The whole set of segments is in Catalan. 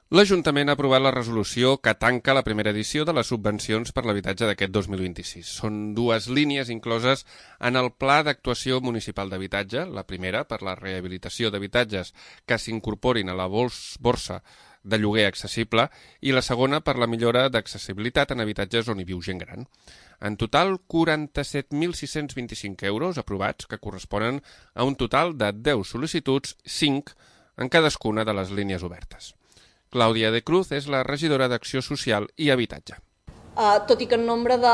L'Ajuntament ha aprovat la resolució que tanca la primera edició de les subvencions per l'habitatge d'aquest 2026. Són dues línies incloses en el Pla d'Actuació Municipal d'Habitatge, la primera per la rehabilitació d'habitatges que s'incorporin a la borsa de lloguer accessible i la segona per la millora d'accessibilitat en habitatges on hi viu gent gran. En total, 47.625 euros aprovats, que corresponen a un total de 10 sol·licituds, 5 en cadascuna de les línies obertes. Clàudia de Cruz és la regidora d'Acció Social i Habitatge. Tot i que el nombre de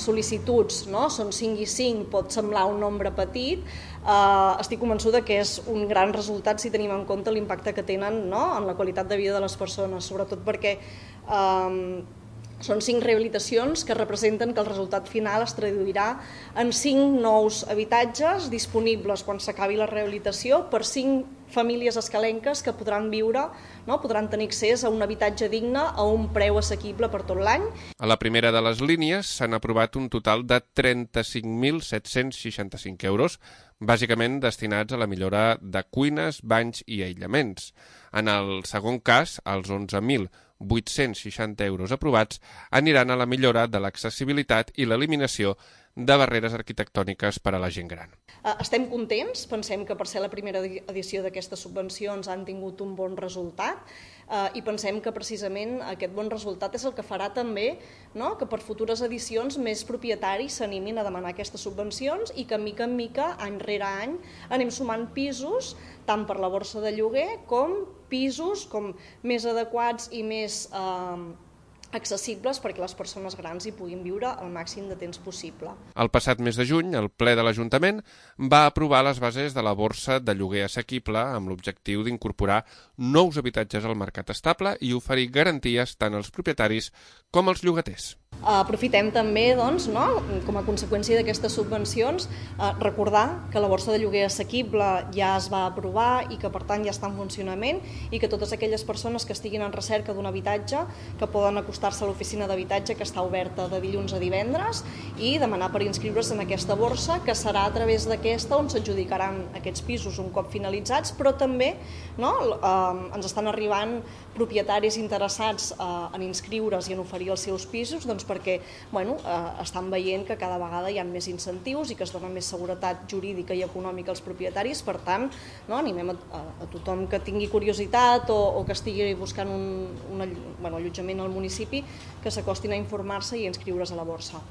sol·licituds són 5 i 5, pot semblar un nombre petit, estic convençuda que és un gran resultat si tenim en compte l'impacte que tenen en la qualitat de vida de les persones, sobretot perquè són 5 rehabilitacions que representen que el resultat final es traduirà en 5 nous habitatges disponibles quan s'acabi la rehabilitació per 5 famílies escalenques que podran viure, podran tenir accés a un habitatge digne a un preu assequible per tot l'any. A la primera de les línies s'han aprovat un total de 35.765 euros, bàsicament destinats a la millora de cuines, banys i aïllaments. En el segon cas, els 11.860 euros aprovats aniran a la millora de l'accessibilitat i l'eliminació de barreres arquitectòniques per a la gent gran. Estem contents, pensem que per ser la primera edició d'aquestes subvencions han tingut un bon resultat i pensem que precisament aquest bon resultat és el que farà també que per futures edicions més propietaris s'animin a demanar aquestes subvencions i que mica en mica, any rere any, anem sumant pisos tant per la borsa de lloguer com pisos més adequats i més accessibles perquè les persones grans hi puguin viure el màxim de temps possible. El passat mes de juny, el ple de l'Ajuntament va aprovar les bases de la borsa de lloguer assequible amb l'objectiu d'incorporar nous habitatges al mercat estable i oferir garanties tant als propietaris com als llogaters. Aprofitem també, com a conseqüència d'aquestes subvencions, recordar que la borsa de lloguer assequible ja es va aprovar i que per tant ja està en funcionament i que totes aquelles persones que estiguin en recerca d'un habitatge que poden acostar-se a l'oficina d'habitatge que està oberta de dilluns a divendres i demanar per inscriure's en aquesta borsa que serà a través d'aquesta on s'adjudicaran aquests pisos un cop finalitzats, però també ens estan arribant propietaris interessats en inscriure's i en oferir els seus pisos perquè estan veient que cada vegada hi ha més incentius i que es dona més seguretat jurídica i econòmica als propietaris. Per tant, animem a tothom que tingui curiositat o que estigui buscant un allotjament al municipi que s'acostin a informar-se i a inscriure's a la borsa.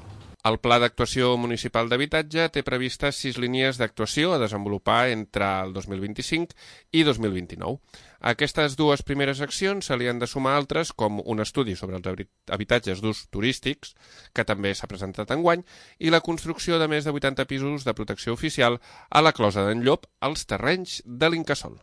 El Pla d'Actuació Municipal d'Habitatge té previstes 6 línies d'actuació a desenvolupar entre el 2025 i 2029. A aquestes dues primeres accions se li han de sumar altres com un estudi sobre els habitatges d'ús turístics, que també s'ha presentat enguany, i la construcció de més de 80 pisos de protecció oficial a la Closa d'en Llop, als terrenys de l'Incasòl.